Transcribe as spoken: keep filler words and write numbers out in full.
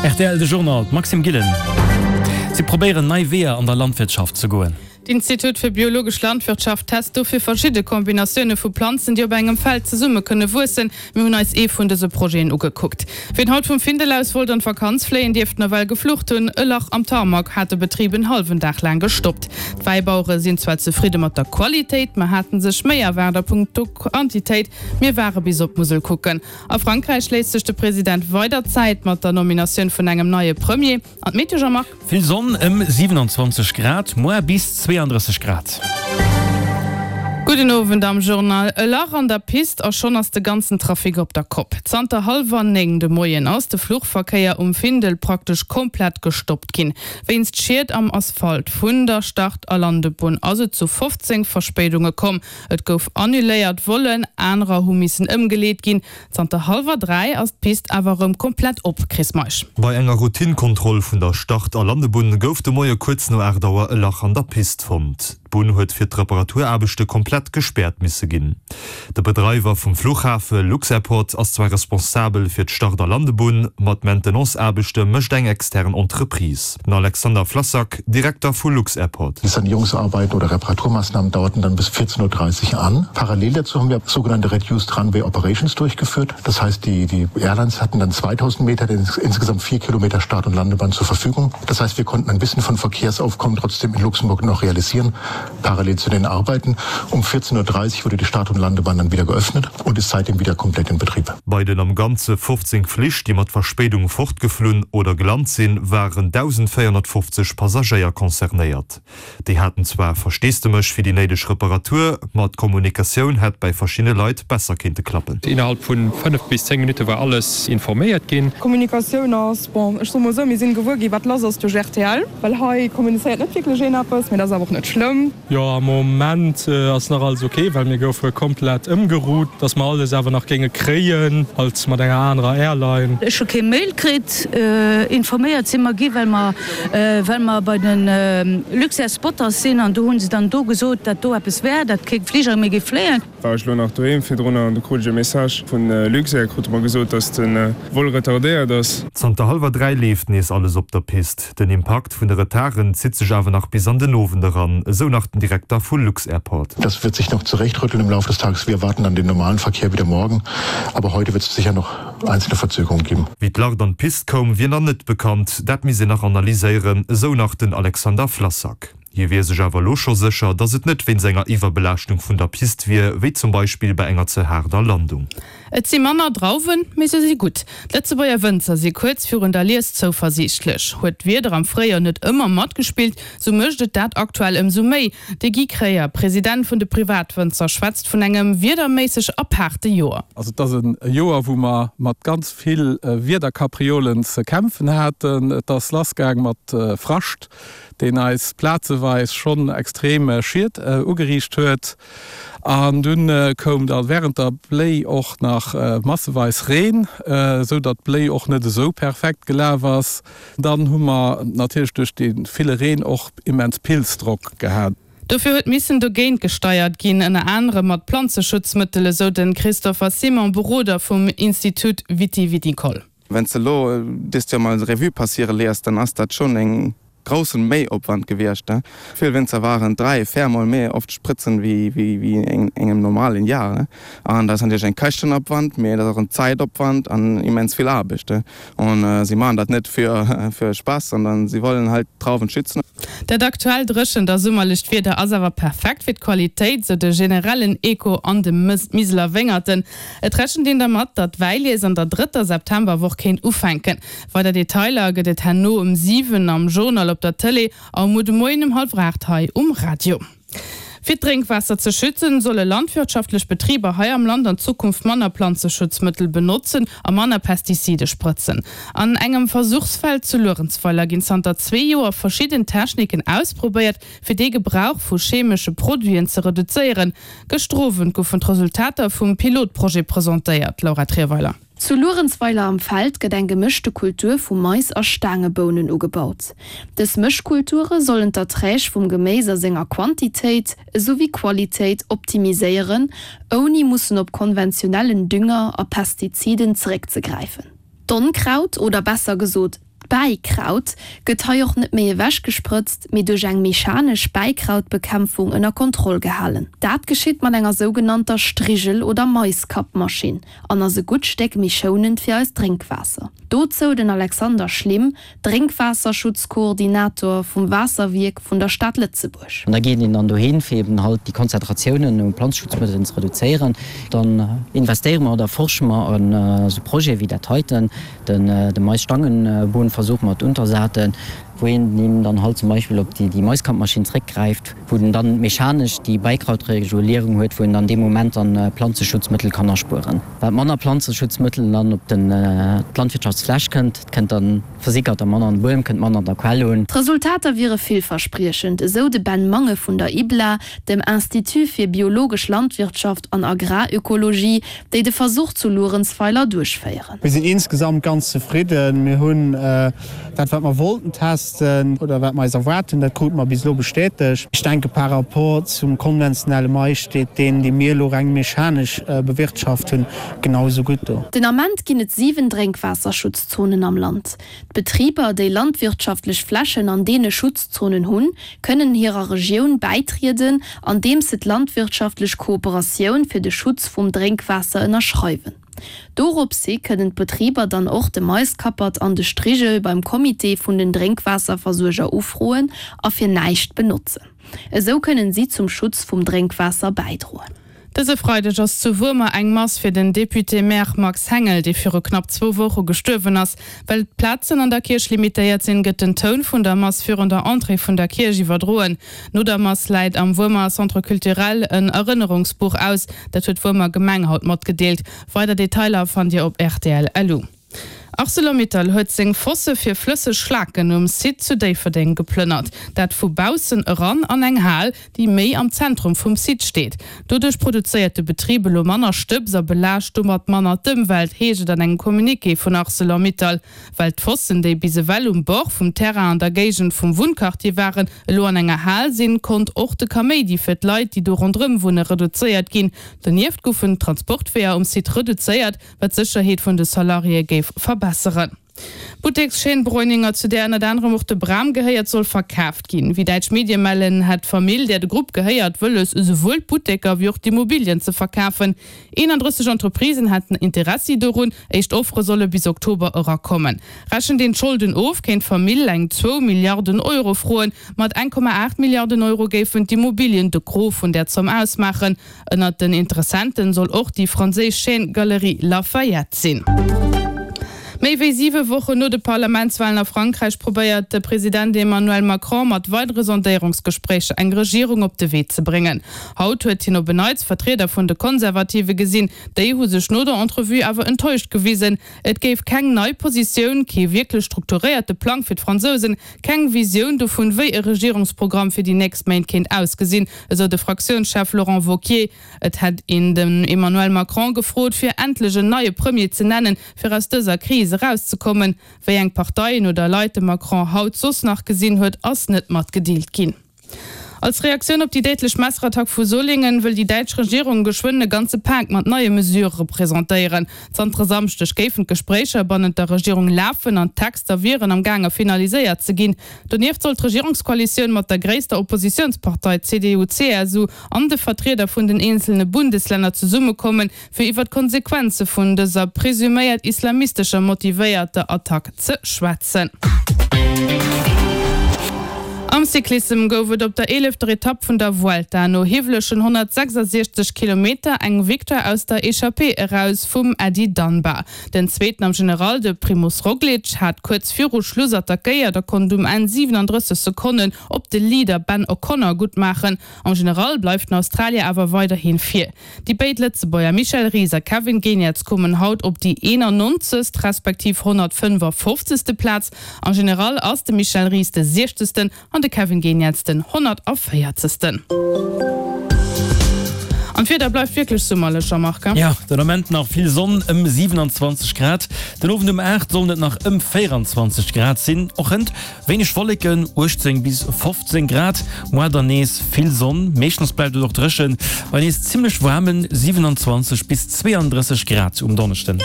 Rtl de Journal, d'Maxime Gillen. Si probéieren nei Weeër an der Landwirtschaft ze goen. D'Institut fir biologesch Landwirtschaft test dofir verschidde Kombinatioune vu Planzen, déi op engem Feld zesumme kënne wuessen. Mir hunn eis ee vun dëse Projeten ugekuckt. Wien haut vum Findel aus wollt an d'Vakanz fléien, dierft nawell geflucht hunn. E Lach am Tarmac hat de Betrib en hallwen Dag laang gestoppt. D'Wäibauere sinn zwar zefridde mat der Qualitéit, ma haten sech méi erwaart a punkto Quantitéit. Mir ware bis op d'Musel kucken. A Frankräich léisst sech de President weider Zäit mat der Nominatioun vun engem neie Premier. An d'Meteo, Jean-Marc? Vill Sonn, ëm siewenanzwanzeg Grad, muer bis zweeandrësseg Grad. Gudden Owend am Journal. E Lach an der Pist a schonn ass de ganzen Trafic op der Kopp. Zanter hallwer néng de Moien ass de Fluchverkéier um Findel praktesch komplett gestoppt ginn. Wéinst Schied am Asphalt vun der Start a Landebunn ass et zu fofzéng Verspéidunge komm. Et gouf annuléiert Vollen, anerer hu missen ëmgeleet ginn. Zanter hallwer dräi ass d'Pist awer erëm komplett op, Chris Meisch. Bei enger Routine-Kontroll vun der Start a Landebunn gouf de Moie kuerz no aacht Auer e Lach an der Pist fonnt. D'Bunn huet fir d'Reparaturaarbechte komplett gespäert misse ginn. De Bedreiwer vum Fluchhafe, Lux-Airport, ass zwar responsabel fir d'Start a Landebunn, ma d'Maintenance-Aarbechte mécht eng extern Entreprise. Den Alexander Flassak, Direkter vu Lux-Airport. Die Sanierungsarbeiten oder Reparaturmaßnahmen dauerten dann bis vierzehn Uhr dreißig an. Parallel dazu haben wir sogenannte Reduced Runway Operations durchgeführt. Das heißt, die, die Airlines hatten dann zweitausend Meter, insgesamt vier Kilometer Start- und Landebahn zur Verfügung. Das heißt, wir konnten ein bisschen von Verkehrsaufkommen trotzdem in Luxemburg noch realisieren. Parallel zu den Arbeiten. Um vierzehn Uhr dreißig wurde die Start- und Landebahn dann wieder geöffnet und ist seitdem wieder komplett in Betrieb. Bei den am Ganze fofzéng Flich, déi mat Verspéidung fortgeflunn oder gelant sinn, waren dausendvéierhonnertfofzeg Passagéier concernéiert. Déi haten zwar Versteesdemech fir déi néideg Reparatur, ma d'Kommunikatioun hätt bäi verschiddene Leit besser kéinte klappen. Innerhalb vun fënnef bis zéng Minutte war alles informéiert ginn. D'Kommunikatioun ass, bon, ech soe mol esou, mir sinn gewuer gi wat lass ass duerch rtl, well hei kommunizéiert net wierklech een eppes, mee dat ass awer och net schlëmm. Jo, am Moment ass nach alles ok, well mir goufe komplett ëmgerout, dass mer alles awer nach géinge kréien, halt mat enger anerer Airline. Ech hu kee Mail kritt. Informéiert si mer gi well mer well mer bei de Luxair Spotters sinn an do hu se dann do gesot, dat do eppes wär, dat kee Fliger méi géif fléien. War ech lo nach doheem virdrunner an du krut ech e Message vun Luxair, krute mer gesot, dass de Vol retardéiert ass. Zanter hallwer dräi leeft nees alles op der Pist. Den Impakt vun de Retarden zitt sech awer nach bis an den Owend eran, esou nach den Direkter vu Lux-Airport. Das wird sich noch zurechtrütteln im Laufe des Tages. Wir erwarten dann den normalen Verkehr wieder morgen, aber heute wird es sicher noch einzelne Verzögerungen geben. Wéi d'Lach an d'Pist koum, wier nach net bekannt. Dat misst een nach analyséieren, esou nach den Alexander Flassak. Hie wier sech awer elo scho sécher, datt et net wéinst enger Iwwerbelaaschtung vun der Pist wier, wéi zum Beispill bei enger ze haarder Landung. Et si manner Drauwen, mee se si gutt. D'Lëtzebuerger Wënzer si kuerz virun der Lies zouversiichtlech. Huet d'Wieder am Fréijoer net ëmmer matgespillt, sou mécht et dat aktuell ëmsou méi. De Guy Kreyer, President vun de Privatwënzer, schwätzt vun engem wiederméisseg apaarte Joer. Also et ass e Joer, wou mer mat ganz vill Wiederkapriolen ze kämpfen haten. Et ass lassgaang mat Frascht, deen eis plazeweis schonn extrem Schied ugeriicht huet. An dunn koum da wärend der Bléi och nach masseweis Reen, esou datt d'Bléi och net esou perfekt gelaf ass. Dann hu mer natierlech duerch dee ville Reen och immens Pilzdrock gehat. Dofir huet missen dogéint gesteiert ginn, ënner anerem mat Planzeschutzmëttel, esou de Christopher Simon, Beroder vum Institut Viti-Viticole. Wann s de elo dëst Joer mol Revue passiere léiers, dann ass dat schonn en groussen Méiopwand gewiescht. Vill Wénzer waren dräi, véier Mol méi oft spritzen wéi wéi engem normalen Jar. An dat ass natierlech en Käschtenopwand, mee dat ass och en Zäitopwand an immens vill Aarbecht. An si maachen dat net fir fir Spaass, sondern si wollen halt d'Drauwen schützen. Dat aktuell dréchent a summerlecht Wieder ass awer perfekt fir d'Qualitéit, sou de generellen Echo an de Miseler Wéngerten. Et rechent een dermat, datt d'Wäilies an der drëtter Septemberwoch kéint ufänken. Weider Detailer gëtt et herno um siwen am Journal op der Tëlee a um muer de Moien um hallwer aacht hei um Radio. Fir d'Drénkwaasser ze schützen, solle landwirtschaftlech Betriber hei am Land an Zukunft manner Planzeschutzmëttel benotzen a manner Pestizide sprëtzen. An engem Versuchsfeld zu Luerenzweiler ginn zanter zwee Joer verschidden Techniken ausprobéiert, fir dee Gebrauch vu chemesche Produiten ze reduzéieren. Gëschter Owend goufen d'Resultater vum Pilotprojet presentéiert. Laura Trierweiler. Zu Luerenzweiler am Feld gëtt eng gemëschte Kultur vu Mais a Staangebounen ugebaut. Dës Mëschkulture sollen d'Erträg vum Geméis a senger Quantitéit esou wéi Qualitéit optimiséieren, ouni mussen op konventionellen Dünger a Pestiziden zeréckzegräifen. D'Onkraut, oder besser gesot D'Bäikraut gëtt hei och net méi ewechgesprëtzt, mee duerch eng mechanesch Bäikrautbekämpfung ënner Kontroll gehalen. Dat geschitt mat enger sougenannter Strigel oder Maiskappmaschinn an ass e gutt Stéck méi schounend fir eist Drénkwaasser. Dozou den Alexander Schlim, Drénkwaasserschutzkoordinator vum Waasserwierk vun der Stad Lëtzebuerg. An da geet een dann dohin, fir eben halt déi Konzentratiounen u Planzeschutzmëttelen ze reduzéieren. Dann investéiere mer oder forsche mer an esou Projete wéi dat heiten, den de Maisstangenbohnenversuch mat Untersaaten, wou een eben dann halt zum Beispill op déi Maiskampmaschinn zréckgräift, wou en dann mechanesch déi Beikrautregulierung huet, wou en dann dee Moment dann Planzeschutzmëttel kann aspueren. Wat manner Planzeschutzmëttel dann op den d'Landwirtschaftsfläch kënnt, kënnt dann versickert da manner an de Buedem, kënnt manner an der Quell un. D'Resultater wiere villverspriechend, esou de Ben Mange vun der IBLA, dem Institut fir biologesch Landwirtschaft an Agrarökologie, déi de Versuch zu Luerenzweiler duerchféieren. Mir sinn insgesamt ganz zefridden. Mir hunn dat, wat mer wollten testen oder wat mer eis erwaart hunn, dat krute mer bis elo bestätegt. Ech denke par rapport zum konventionelle Mais steet deen, dee mir elo reng mechanesch bewirtschaft hunn, genau esou gutt do. Den Ament ginn et siwen Drénkwaasserschutzzonen am Land. D'Betriber, déi landwirtschaftlech Flächen an deene Schutzzonen hunn, kënnen hirer Regioun bäitrieden, andeems se d'landwirtschaftlech Kooperatioun fir de Schutz vum Drénkwaasser ënnerschreiwen. Doropshi kënnen d'Betriber dann och de Maiskappert an de Strigel beim Comité vun den Drénkwaasserversuerger ufroen a fir näischt benotzen. Esou kënnen si zum Schutz vum Drénkwaasser bäidroen. Dëse Freideg ass zu Wuermer eng Mass fir den Député-Maire Max Hengel, dee viru knapp zwou Woche gestuerwen ass. Well d'Plazen an der Kierch limitéiert sinn, gëtt den Toun vun der Mass virun der Entrée vun der Kierch iwwerdroen. No der Mass läit am Wuermer Centre Culturel en Erënnerungsbuch aus. Dat huet d'Wuermer Gemeng haut matgedeelt. Weider Detailer fannt Dir op rtl. Lu. Arcelor-Mittal huet seng Fosse fir flësseg Schlaken um Site zu Déifferdeng geplënnert. Dat vu baussen eran an eng Hal, déi méi am Zentrum vum Site steet. Doduerch produzéiert de Betrib elo manner Stëbs a belaascht domat manner d'Ëmwelt, heescht et an engem Communiqué vun Arcelor-Mittal. Well d'Fossen, déi bis ewell um Bord vum Terrain an der Géigend vum Wunnquartier waren, elo an enger Hal sinn, konnt och de Kaméidi fir d'Leit, déi do ronderëm wunne reduzéiert ginn. Donieft goufen d'Transportweeër um Site reduzéiert, wat d'Sécherheet vun de Salariéë géif verbesseren. D'Buttekschaîne Breuninger, zu där ënnert anerem och de Bram gehéiert, soll verkaaft ginn. Wéi däitsch Medie mellen, hätt d'Famill, där de Grupp gehéiert, wëlles, esouwuel d'Butteker wéi och d'Immobilien ze verkafen. eenandrësseg Entreprisen hätten Interessi dorun. Éischt Offere solle bis Oktober erakommen. Rechent een d'Scholden of, kéint d'Famill eng zwou Milliarden Euro froen. Mat eng Komma aacht Milliarden Euro géifen d'Immobilien de Gros vun där Zomm ausmaachen. Ënnert den Interessenten soll och déi franséisch Chaîne Galeries Lafayette sinn. Méi wéi siwe Wochen no de Parlamentswalen a Frankräich probéiert de President Emmanuel Macron mat weidere Sondéierungsgespréicher eng Regierung op de Wee ze bréngen. Haut huet hien op en Neits Vertrieder vun de Konservative gesinn. Déi hu sech no der Entrevue awer enttäuscht gewisen. Et géif keng nei Positioun, kee wierklech strukturéierte Plang fir d'Fransousen, keng Visioun dovun, wéi e Regierungsprogramm fir déi nächst Méint kéint ausgesinn, esou de Fraktiounschef Laurent Wauquiez. Et hätt een den Emmanuel Macron gefrot, fir endlech en neie Premier ze nennen, fir aus dëser Kris erauszekommen. Wéi eng Parteien oder Leit de Macron haut soss nach gesinn huet, ass net matgedeelt ginn. Als Reaktioun op déi déidlech Messerattack vu Solingen wëll déi däitsch Regierung geschwënn e ganze Pak mat neie Mesurë presentéieren. Zanter e Samschdeg géifen d'Gespréicher bannent der Regierung lafen an d'Texter wieren am gaange finaliséiert ze ginn. Donieft soll d'Regierungskoalitioun mat der gréisster Oppositiounspartei C D U C S U an de Vertrieder vun den eenzelne Bundeslänner zesummekommen, fir iwwer d'Konsequenze vun dëser presuméiert islamistescher motivéierter Attack ze schwätzen. Am Cyclissem gouf et op der eelefter Etapp vun der Vuelta no hiwwelegen honnertsechsasiechzeg Kilometer eng Victoire aus der Echappée eraus vum Eddie Dunbar. Den Zweeten am General, de Primoz Roglic, hat kuerz viru Schluss attackéiert a konnt um Enn siwenandrësseg Sekonnen op de Leader Ben O'Connor guttmaachen. Am General bleift den Australier awer weiderhi vir. Déi béid Lëtzebuerger Michel Ries a Kevin Geniets kommen haut op déi eenannonzegst respektiv honnertfënnefafofzegste Plaz. Am General ass de Michel Ries de siechzegsten an de Kevin Geniets den honnertavéierzegsten. An d'Wieder bleift wierklech summerlech, Jean-Marc. Jo, den Ament nach vill Sonn, ëm siewenanzwanzeg Grad. Den Owend um aacht sollen et nach ëm véieranzwanzeg Grad sinn. Och hënt wéineg Wolleken, uechtzéng bis fofzéng Grad. Moar dann nees vill Sonn, meeschtens bleift et och dréchen, bei nees zimmlech waarmen siewenanzwanzeg bis zweeandrësseg Grad um Donneschden.